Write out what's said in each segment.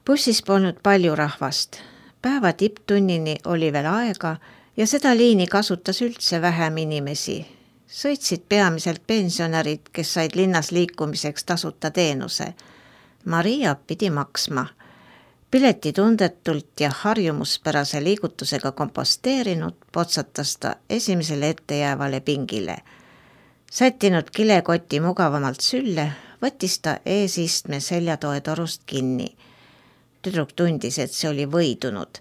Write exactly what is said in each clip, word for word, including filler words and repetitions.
Bussis polnud palju rahvast. Päeva tipptunnini oli veel aega ja seda liini kasutas üldse vähem inimesi. Sõitsid peamiselt pensionärid, kes said linnas liikumiseks tasuta teenuse. Maria pidi maksma. Pileti tundetult ja harjumuspärase liigutusega komposteerinud potsatas ta esimesele ettejäävale pingile. Sättinud kilekoti mugavamalt sülle, võttis ta eesistme seljatoe torust kinni. Tüdruk tundis, et see oli võidunud.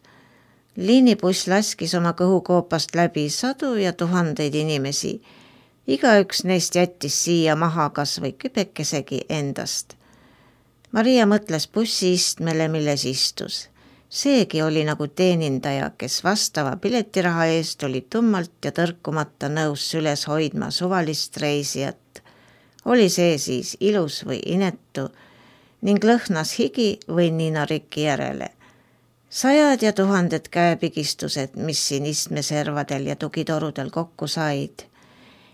Liinibuss laskis oma kõhukoopast läbi sadu ja tuhandeid inimesi. Igaüks neist jättis siia maha kas või kübekesegi endast. Maria mõtles bussi istmele, milles istus. Seegi oli nagu teenindaja, kes vastava piletiraha eest oli tummalt ja tõrkumata nõus süles hoidma suvalist reisijat. Oli see siis ilus või inetu ning lõhnas higi või ninarikki järele. Sajad ja tuhanded käepigistused, mis siin istmeservadel ja tugitorudel kokku said.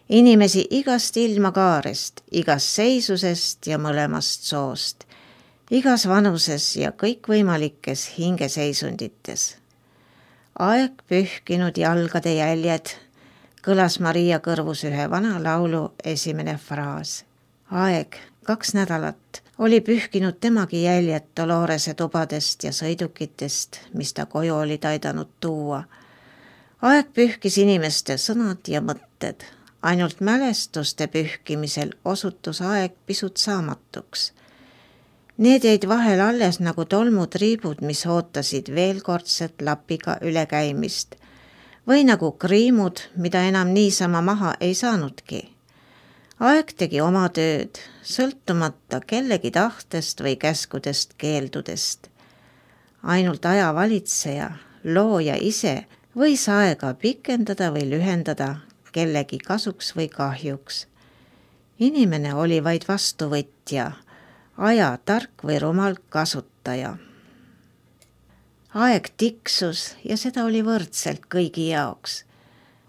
Inimesi igast ilmakaarest, igast seisusest ja mõlemast soost. Igas vanuses ja kõikvõimalikes hingeseisundites. Aeg pühkinud jalgade jäljed, kõlas Maria kõrvus ühe vana laulu esimene fraas. Aeg, kaks nädalat, oli pühkinud temagi jäljed Dolorese tubadest ja sõidukitest, mis ta koju oli taidanud tuua. Aeg pühkis inimeste sõnad ja mõtted. Ainult mälestuste pühkimisel osutus aeg pisut saamatuks. Need jäid vahel alles nagu tolmutriibud, mis ootasid veelkordset lapiga ülekäimist. Või nagu kriimud, mida enam niisama maha ei saanudki. Aeg tegi oma tööd, sõltumata kellegi tahtest või käskudest keeldudest. Ainult aja valitseja, looja ise võis aega pikendada või lühendada kellegi kasuks või kahjuks. Inimene oli vaid vastuvõtja, aja tark või rumal kasutaja. Aeg tiksus ja seda oli võrdselt kõigi jaoks.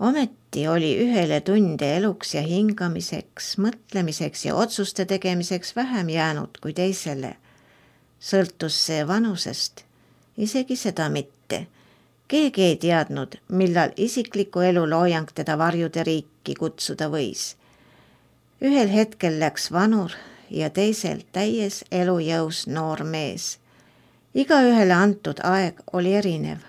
Ometi oli ühele tunde eluks ja hingamiseks, mõtlemiseks ja otsuste tegemiseks vähem jäänud kui teisele. Sõltus see vanusest, isegi seda mitte. Keegi ei teadnud, millal isikliku elu loojang teda varjude riiki kutsuda võis. Ühel hetkel läks vanur ja teisel täies elujõus noor mees. Igaühele antud aeg oli erinev.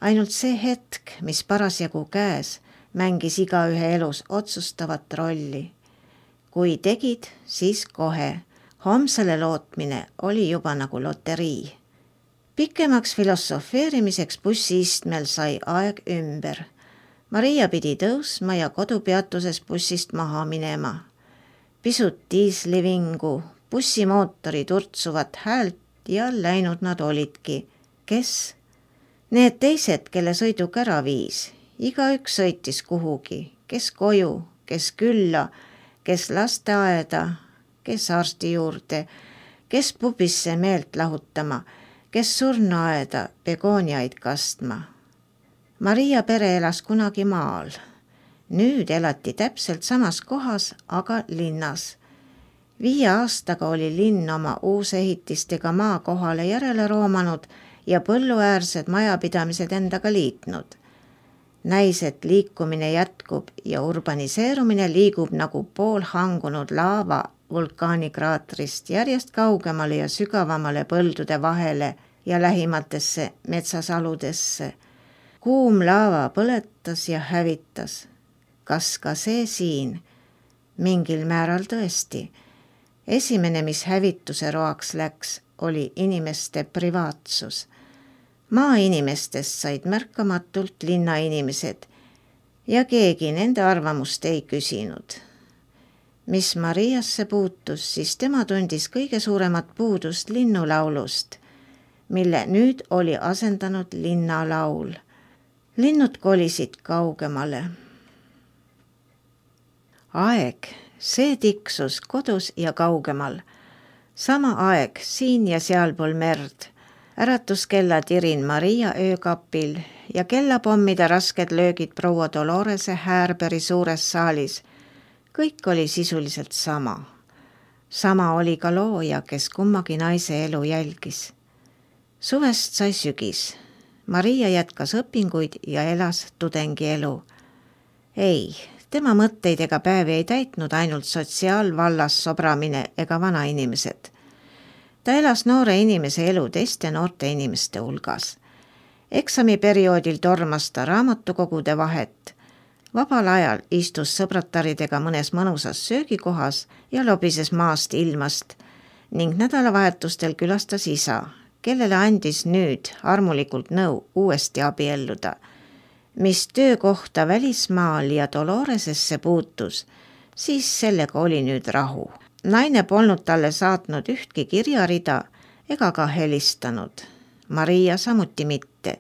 Ainult see hetk, mis parasjagu käes, mängis igaühe elus otsustavat rolli. Kui tegid, siis kohe. Homsele lootmine oli juba nagu loterii. Pikemaks filosofeerimiseks bussi istmel sai aeg ümber. Maria pidi tõusma ja kodupeatuses bussist maha minema. Pisut diislivingu, bussimootori turtsuvat häält ja läinud nad olidki. Kes? Need teised, kelle sõiduk ära viis. Igaüks sõitis kuhugi, kes koju, kes külla, kes lasteaeda, kes arsti juurde, kes pubisse meelt lahutama, kes surnuaeda begooniaid kastma. Maria pere elas kunagi maal. Nüüd elati täpselt samas kohas, aga linnas. Viie aastaga oli linn oma uusehitistega maa kohale järele roomanud ja põlluäärsed majapidamised endaga liitnud. Näis, et liikumine jätkub ja urbaniseerumine liigub nagu poolhangunud laava vulkaanikraatrist järjest kaugemale ja sügavamale põldude vahele ja lähimatesse metsasaludesse. Kuum laava põletas ja hävitas. Kas ka see siin? Mingil määral tõesti. Esimene, mis hävituse roaks läks, oli inimeste privaatsus. Maainimestest said märkamatult linnainimesed ja keegi nende arvamust ei küsinud. Mis Mariasse puutus, siis tema tundis kõige suuremat puudust linnulaulust, mille nüüd oli asendanud linnalaul. Linnud kolisid kaugemale. Aeg, see tiksus kodus ja kaugemal. Sama aeg siin ja sealpool merd. Äratuskella tirin Maria öökapil ja kellapommide rasked löögid proua Dolorese Härberi suures saalis. Kõik oli sisuliselt sama. Sama oli ka looja, kes kummagi naise elu jälgis. Suvest sai sügis. Maria jätkas õpinguid ja elas tudengielu. Ei, tema mõtteid ega päevi ei täitnud ainult sotsiaalvallas sobramine ega vanainimesed. Ta elas noore inimese elu teiste noorte inimeste hulgas. Eksamiperioodil tormas ta raamatukogude vahet. Vabal ajal istus sõbrataridega mõnes mõnusas söögikohas ja lobises maast ilmast ning nädalavahetustel külastas isa, kellele andis nüüd armulikult nõu uuesti abielluda. Mis töökohta välismaal ja Doloresesse puutus, siis sellega oli nüüd rahu. Naine polnud talle saatnud ühtki kirjarida ega ka helistanud. Maria samuti mitte.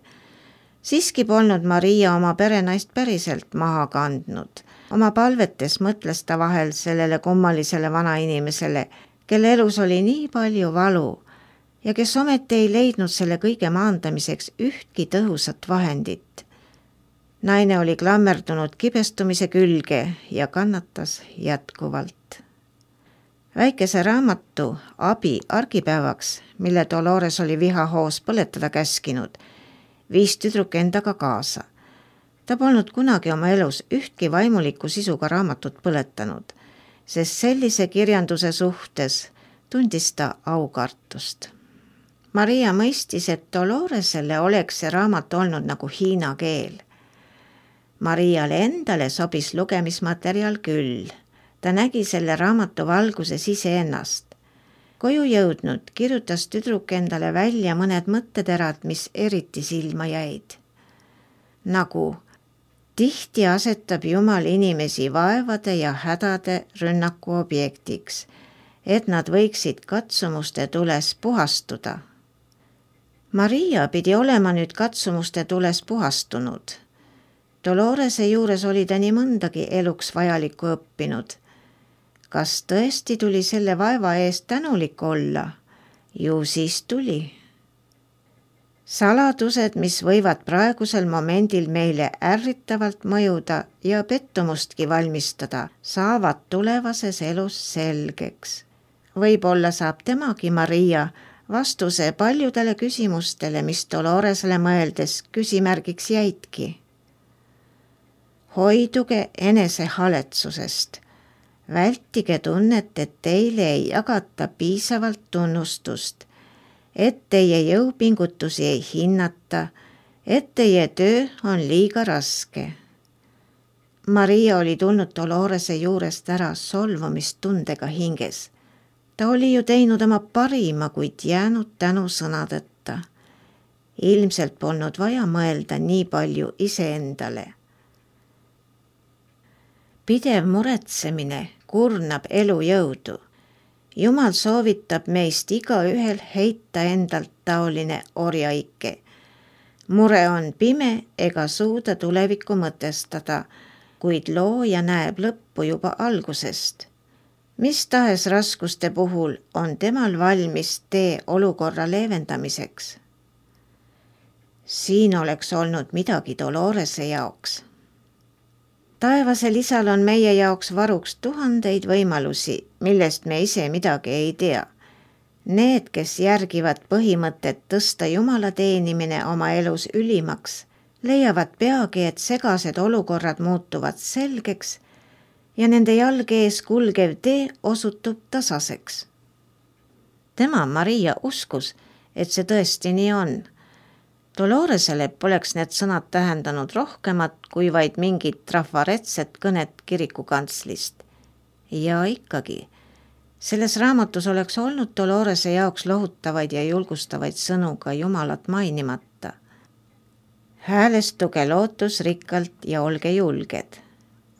Siiski polnud Maria oma perenaist päriselt maha kandnud. Oma palvetes mõtles ta vahel sellele kummalisele vanainimesele, kelle elus oli nii palju valu ja kes ometi ei leidnud selle kõige maandamiseks ühtki tõhusat vahendit. Naine oli klammerdunud kibestumise külge ja kannatas jätkuvalt. Väikese raamatu Abi argipäevaks, mille Dolores oli vihahoos põletada käskinud, viis tüdruk endaga kaasa. Ta polnud kunagi oma elus ühtki vaimuliku sisuga raamatut põletanud, sest sellise kirjanduse suhtes tundis ta aukartust. Maria mõistis, et Doloresele oleks see raamat olnud nagu hiina keel. Mariale endale sobis lugemismaterjal küll. Ta nägi selle raamatu valguses iseennast. Koju jõudnud kirjutas tüdruk endale välja mõned mõtteterad, mis eriti silma jäid. Nagu tihti asetab Jumal inimesi vaevade ja hädade rünnaku objektiks, et nad võiksid katsumuste tules puhastuda. Maria pidi olema nüüd katsumuste tules puhastunud. Dolorese juures oli ta nii mõndagi eluks vajalikku õppinud. Kas tõesti tuli selle vaeva eest tänulik olla? Ju siis tuli. Saladused, mis võivad praegusel momendil meile ärritavalt mõjuda ja pettumustki valmistada, saavad tulevases elus selgeks. Võib-olla saab temagi Maria vastuse paljudele küsimustele, mis Doloresele mõeldes küsimärgiks jäidki. Hoiduge enesehaletsusest. Vältige tunnet, et teile ei jagata piisavalt tunnustust, et teie jõupingutusi ei hinnata, et teie töö on liiga raske. Maria oli tulnud Dolorese juurest ära solvumistundega hinges. Ta oli ju teinud oma parima, kuid jäänud tänu sõnadeta. Ilmselt polnud vaja mõelda nii palju iseendale. Pidev muretsemine kurnab elu jõudu. Jumal soovitab meist igaühel heita endalt taoline orjaike. Mure on pime ega suuda tulevikku mõtestada, kuid looja näeb lõppu juba algusest. Mis tahes raskuste puhul on temal valmis tee olukorra leevendamiseks. Siin oleks olnud midagi Dolorese jaoks. Taevasel isal on meie jaoks varuks tuhandeid võimalusi, millest me ise midagi ei tea. Need, kes järgivad põhimõtet tõsta Jumala teenimine oma elus ülimaks, leiavad peagi, et segased olukorrad muutuvad selgeks ja nende jalge ees kulgev tee osutub tasaseks. Tema, Maria, uskus, et see tõesti nii on. Doloresele poleks need sõnad tähendanud rohkemat kui vaid mingit trafaretset kõnet kirikukantslist. Ja ikkagi, selles raamatus oleks olnud Dolorese jaoks lohutavaid ja julgustavaid sõnu ka Jumalat mainimata. Häälestuge lootusrikkalt ja olge julged.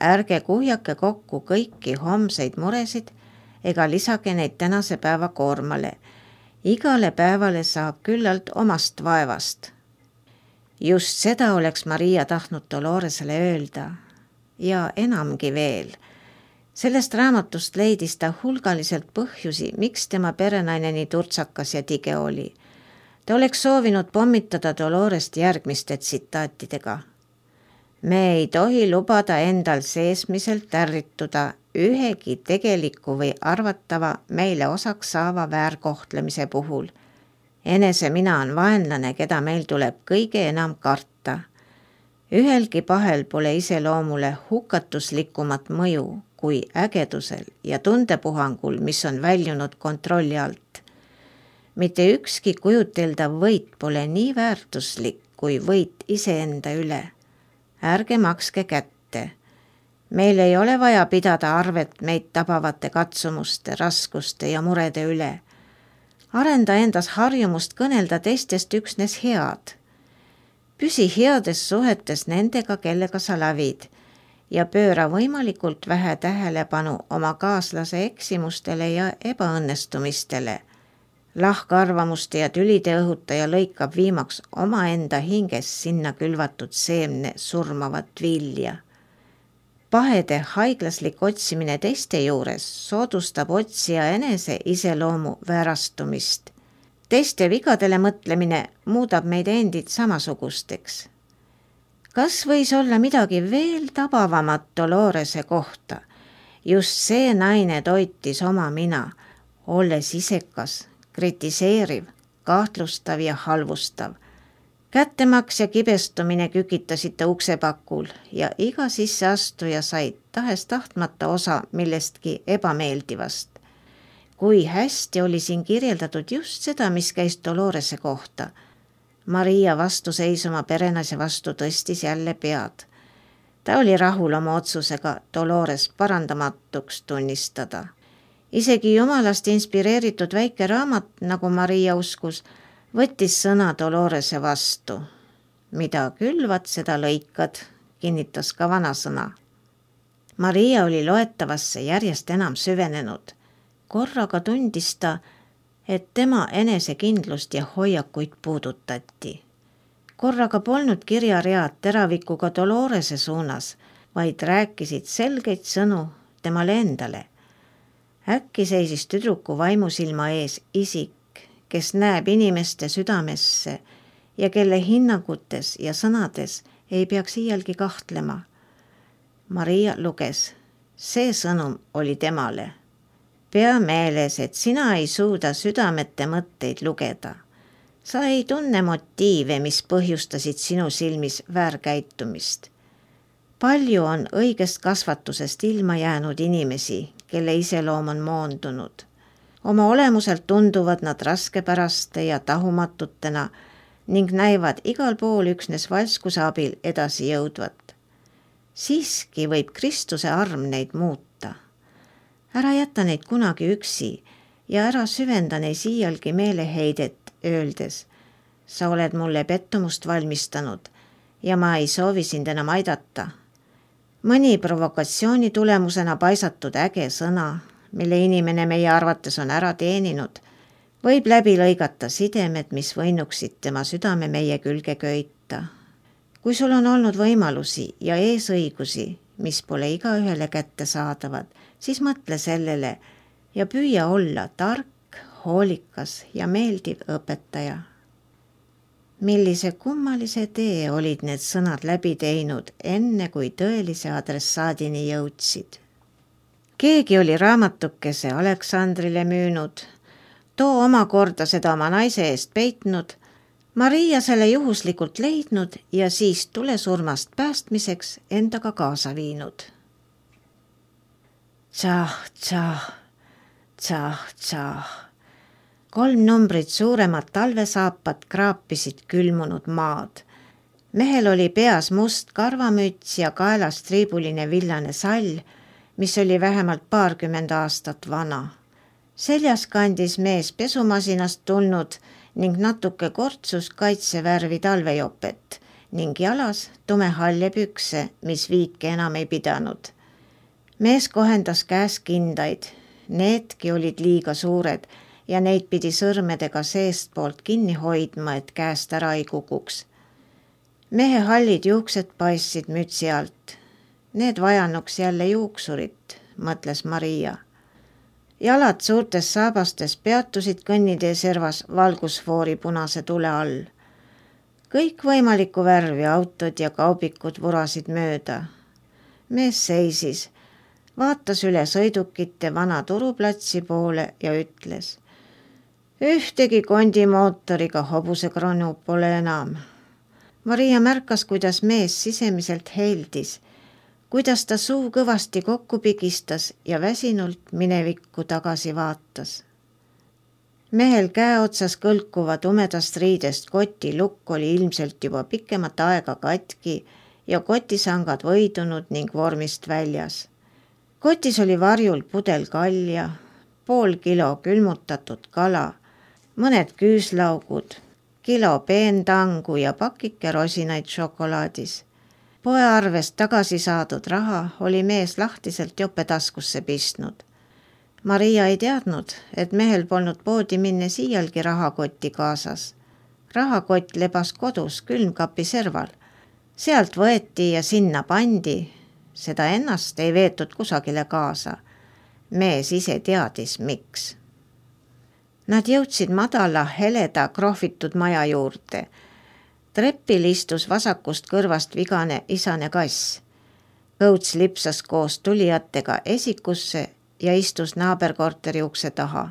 Ärge kuhjake kokku kõiki homseid muresid ega lisage neid tänase päeva koormale. Igale päevale saab küllalt omast vaevast. Just seda oleks Maria tahtnud Doloresele öelda ja enamgi veel. Sellest raamatust leidis ta hulgaliselt põhjusi, miks tema perenaine nii turtsakas ja tige oli. Ta oleks soovinud pommitada Dolorest järgmiste tsitaatidega. Me ei tohi lubada endal seesmiselt ärrituda ühegi tegeliku või arvatava meile osaks saava väärkohtlemise puhul enese mina on vaenlane, keda meil tuleb kõige enam karta. Ühelgi pahel pole iseloomule hukatuslikumat mõju kui ägedusel ja tundepuhangul, mis on väljunud kontrolli alt. Mitte ükski kujuteldav võit pole nii väärtuslik kui võit iseenda üle. Ärge makske kätte. Meil ei ole vaja pidada arvet meid tabavate katsumuste, raskuste ja murede üle. Arenda endas harjumust kõnelda teistest üksnes head. Püsi heades suhetes nendega, kellega sa lävid ja pööra võimalikult vähe tähelepanu oma kaaslase eksimustele ja ebaõnnestumistele. Lahkarvamuste ja tülide õhutaja lõikab viimaks omaenda hinges sinna külvatud seemne surmavat vilja. Pahede haiglaslik otsimine teiste juures soodustab otsija enese iseloomu väärastumist. Teiste vigadele mõtlemine muudab meid endid samasugusteks. Kas võis olla midagi veel tabavamat Dolorese kohta? Just see naine toitis oma mina, olles isekas, kritiseeriv, kahtlustav ja halvustav. Kättemaks ja kibestumine kükitasid ta uksepakul ja iga sisseastuja sai tahes tahtmata osa millestki ebameeldivast. Kui hästi oli siin kirjeldatud just seda, mis käis Dolorese kohta. Maria vastuseis oma perenaise vastu tõstis jälle pead. Ta oli rahul oma otsusega Dolores parandamatuks tunnistada. Isegi jumalast inspireeritud väike raamat, nagu Maria uskus, võttis sõna Dolorese vastu. Mida külvad, seda lõikad, kinnitas ka vanasõna. Maria oli loetavasse järjest enam süvenenud. Korraga tundis ta, et tema enesekindlust ja hoiakuid puudutati. Korraga polnud kirjaread teravikuga Dolorese suunas, vaid rääkisid selgeid sõnu temale endale. Äkki seisis tüdruku vaimusilma ees isik, kes näeb inimeste südamesse ja kelle hinnangutes ja sõnades ei peaks iialgi kahtlema. Maria luges, see sõnum oli temale. Pea meeles, et sina ei suuda südamete mõtteid lugeda. Sa ei tunne motiive, mis põhjustasid sinu silmis väärkäitumist. Palju on õigest kasvatusest ilma jäänud inimesi, kelle iseloom on moondunud. Oma olemuselt tunduvad nad raskepäraste ja tahumatutena ning näivad igal pool üksnes valskuse abil edasi jõudvat. Siiski võib Kristuse arm neid muuta. Ära jäta neid kunagi üksi ja ära süvenda neis iialgi meeleheidet öeldes. Sa oled mulle pettumust valmistanud ja ma ei soovi sind enam aidata. Mõni provokatsiooni tulemusena paisatud äge sõna, mille inimene meie arvates on ära teeninud, võib läbi lõigata sidemed, mis võinuksid tema südame meie külge köita. Kui sul on olnud võimalusi ja eesõigusi, mis pole igaühele kätte saadavad, siis mõtle sellele ja püüa olla tark, hoolikas ja meeldiv õpetaja. Millise kummalise tee olid need sõnad läbi teinud, enne kui tõelise adressaadini jõudsid. Keegi oli raamatukese Aleksandrile müünud, too omakorda seda oma naise eest peitnud, Maria selle juhuslikult leidnud ja siis tulesurmast päästmiseks endaga kaasa viinud. Tšah, tšah, tšah, tšah. Kolm numbrit suuremad talvesaapad kraapisid külmunud maad. Mehel oli peas must karvamüts ja kaelas triibuline villane sall, mis oli vähemalt paarkümmend aastat vana. Seljas kandis mees pesumasinast tulnud ning natuke kortsus kaitsevärvi talvejopet ning jalas tumehalle pükse, mis viike enam ei pidanud. Mees kohendas käes kindaid, needki olid liiga suured ja neid pidi sõrmedega seestpoolt kinni hoidma, et käest ära ei kukuks. Mehe hallid juuksed paistsid mütsi alt. Need vajanuks jälle juuksurit, mõtles Maria. Jalad suurtes saabastes peatusid kõnnitee servas valgusfoori punase tule all. Kõik võimalikku värvi autod ja kaubikud vurasid mööda. Mees seisis, vaatas üle sõidukite vana turuplatsi poole ja ütles. Ühtegi kondimootoriga hobusekronu pole enam. Maria märkas, kuidas mees sisemiselt heildis, kuidas ta suu kõvasti kokku pigistas ja väsinult minevikku tagasi vaatas. Mehel käe otsas kõlkuva tumedast riidest koti lukk oli ilmselt juba pikemat aega katki ja kotisangad võidunud ning vormist väljas. Kotis oli varjul pudel kalja, pool kilo külmutatud kala, mõned küüslaugud, kilo peentangu ja pakike rosinaid šokolaadis. Poearvest tagasi saadud raha oli mees lahtiselt jope taskusse pistnud. Maria ei teadnud, et mehel polnud poodi minne siialgi rahakotti kaasas. Rahakott lebas kodus külmkapi serval. Sealt võeti ja sinna pandi. Seda ennast ei veetud kusagile kaasa. Mees ise teadis, miks. Nad jõudsid madala, heleda, krohvitud maja juurde. Treppil istus vasakust kõrvast vigane isane kass. Kõuts lipsas koos tulijatega esikusse ja istus naaberkorteri ukse taha.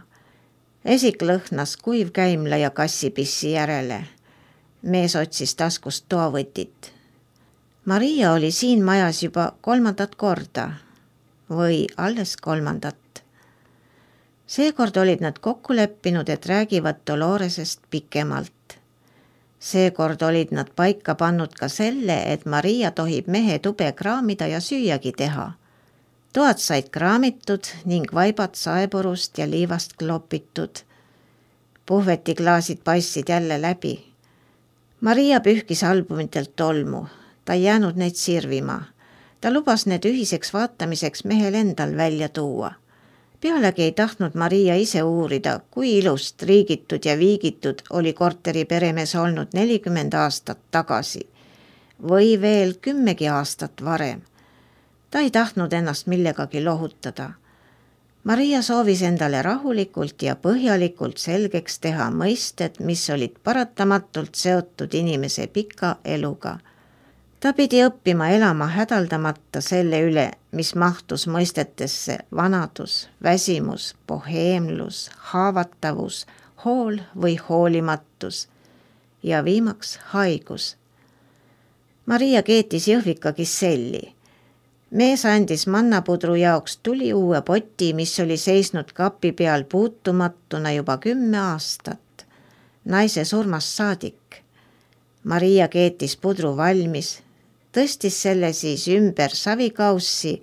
Esik lõhnas kuivkäimla ja kassipissi järele. Mees otsis taskust toavõtit. Maria oli siin majas juba kolmandat korda või alles kolmandat. Seekord olid nad kokku leppinud, et räägivad Doloresest pikemalt. Seekord olid nad paika pannud ka selle, et Maria tohib mehe tube kraamida ja süüagi teha. Toad said kraamitud ning vaibad saepurust ja liivast klopitud. Puhvetiklaasid paistsid jälle läbi. Maria pühkis albumitelt tolmu. Ta ei jäänud neid sirvima. Ta lubas need ühiseks vaatamiseks mehel endal välja tuua. Pealegi ei tahtnud Maria ise uurida, kui ilust, riigitud ja viigitud oli korteri peremees olnud nelikümmend aastat tagasi või veel kümmegi aastat varem. Ta ei tahtnud ennast millegagi lohutada. Maria soovis endale rahulikult ja põhjalikult selgeks teha mõisted, mis olid paratamatult seotud inimese pika eluga. Ta pidi õppima elama hädaldamata selle üle, mis mahtus mõistetesse vanadus, väsimus, boheemlus, haavatavus, hool või hoolimatus ja viimaks haigus. Maria keetis jõhvika kiselli. Mees andis mannapudru jaoks tuli uue poti, mis oli seisnud kapi peal puutumatuna juba kümme aastat. Naise surmast saadik. Maria keetis pudru valmis, tõstis selle siis ümber savikaussi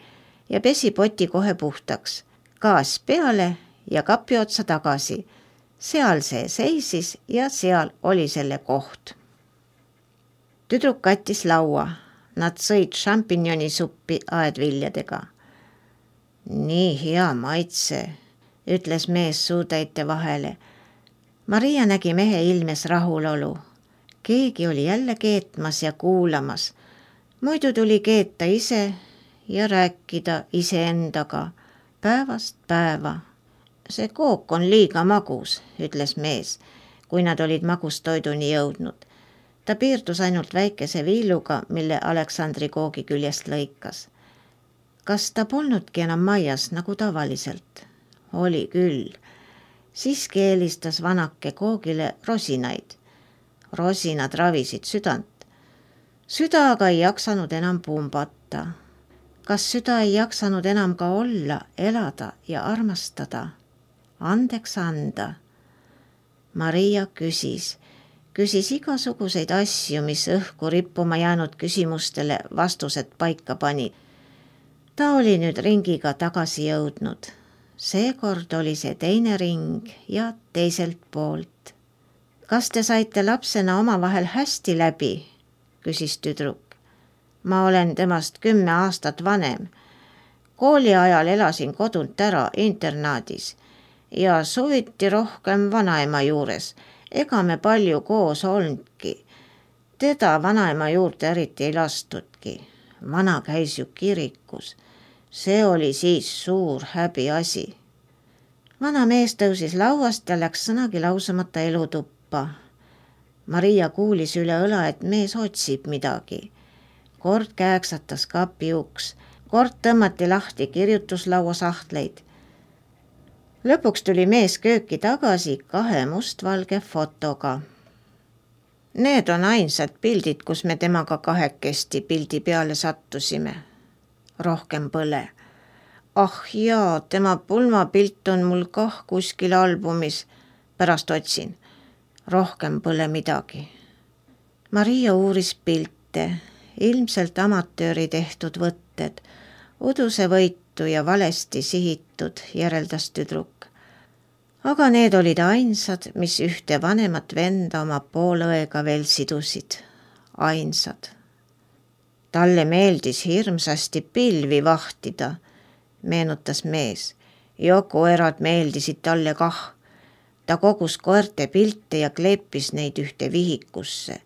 ja pesi poti kohe puhtaks. Gaas peale ja kapi otsa tagasi. Seal see seisis ja seal oli selle koht. Tüdruk kattis laua. Nad sõid šampinjonisuppi aedviljadega. Nii hea maitse, ütles mees suutäite vahele. Maria nägi mehe ilmes rahulolu. Keegi oli jälle keetmas ja kuulamas. Muidu tuli keeta ise ja rääkida iseendaga päevast päeva. See kook on liiga magus, ütles mees, kui nad olid magustoiduni jõudnud. Ta piirdus ainult väikese viiluga, mille Aleksandri koogi küljest lõikas. Kas ta polnudki enam majas nagu tavaliselt? Oli küll. Siiski eelistas vanake koogile rosinaid. Rosinad ravisid südant. Süda aga ei jaksanud enam pumbata. Kas süda ei jaksanud enam ka olla, elada ja armastada? Andeks anda. Maria küsis. Küsis igasuguseid asju, mis õhku rippuma jäänud küsimustele vastused paika panid. Ta oli nüüd ringiga tagasi jõudnud. Seekord oli see teine ring ja teiselt poolt. Kas te saite lapsena omavahel hästi läbi? Küsis tüdruk. Ma olen temast kümme aastat vanem. Kooli ajal elasin kodunt ära internaadis ja suviti rohkem vanaema juures. Ega me palju koos olnudki. Teda vanaema juurde eriti ei lastudki. Vana käis ju kirikus. See oli siis suur häbi asi. Vana mees tõusis lauast ja läks sõnagi lausamata elutuppa. Maria kuulis üle õla, et mees otsib midagi. Kord kääksatas kapi uks. Kord tõmmati lahti kirjutuslaua sahtleid. Lõpuks tuli mees kööki tagasi kahe mustvalge fotoga. Need on ainsad pildid, kus me temaga kahekesti pildi peale sattusime. Rohkem pole. Ah jaa, tema pulmapilt on mul kah kuskil albumis. Pärast otsin. Rohkem pole midagi. Maria uuris pilte, ilmselt amatööri tehtud võtted, uduse võitu ja valesti sihitud, järeldas tüdruk. Aga need olid ainsad, mis ühte vanemat venda oma poolõega veel sidusid. Ainsad. Talle meeldis hirmsasti pilvi vahtida, meenutas mees. Ja koerad meeldisid talle kah. Ta kogus koerte pilte ja kleepis neid ühte vihikusse.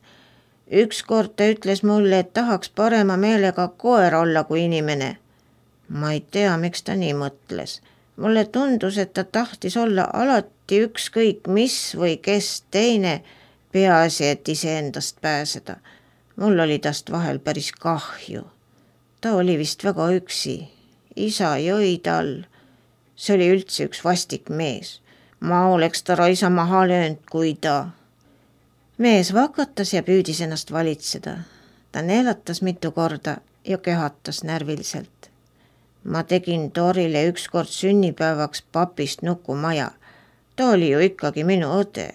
Ükskord ta ütles mulle, et tahaks parema meelega koer olla kui inimene. Ma ei tea, miks ta nii mõtles. Mulle tundus, et ta tahtis olla alati ükskõik mis või kes teine, peaasi, et iseendast pääseda. Mul oli tast vahel päris kahju. Ta oli vist väga üksi. Isa jõi tal. See oli üldse üks vastik mees. Ma oleks ta raisa maha löönud, kui ta. Mees vakatas ja püüdis ennast valitseda. Ta neelatas mitu korda ja köhatas närviliselt. Ma tegin Torile ükskord sünnipäevaks papist nukumaja. Ta oli ju ikkagi minu õde.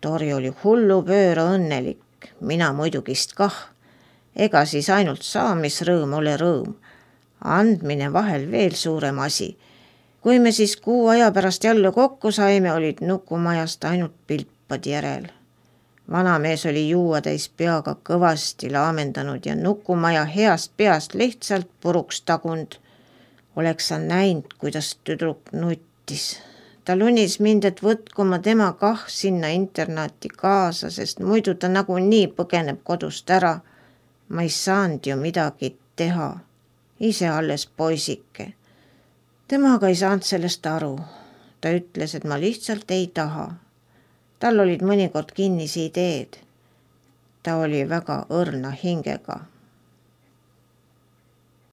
Tori oli hullu pööra õnnelik, mina muidugist kah. Ega siis ainult saamisrõõm ole rõõm. Andmine vahel veel suurem asi. Kui me siis kuu aja pärast jälle kokku saime, olid nukumajast ainult pilpad järel. Vanamees oli juua täis peaga kõvasti laamendanud ja nukumaja heast peast lihtsalt puruks tagund. Oleks sa näinud, kuidas tüdruk nuttis. Ta lunis mind, et võtku ma tema kah sinna internaati kaasa, sest muidu ta nagu nii põgeneb kodust ära. Ma ei saanud ju midagi teha. Ise alles poisike. Temaga ei saanud sellest aru. Ta ütles, et ma lihtsalt ei taha. Tal olid mõnikord kinnisi ideed. Ta oli väga õrna hingega.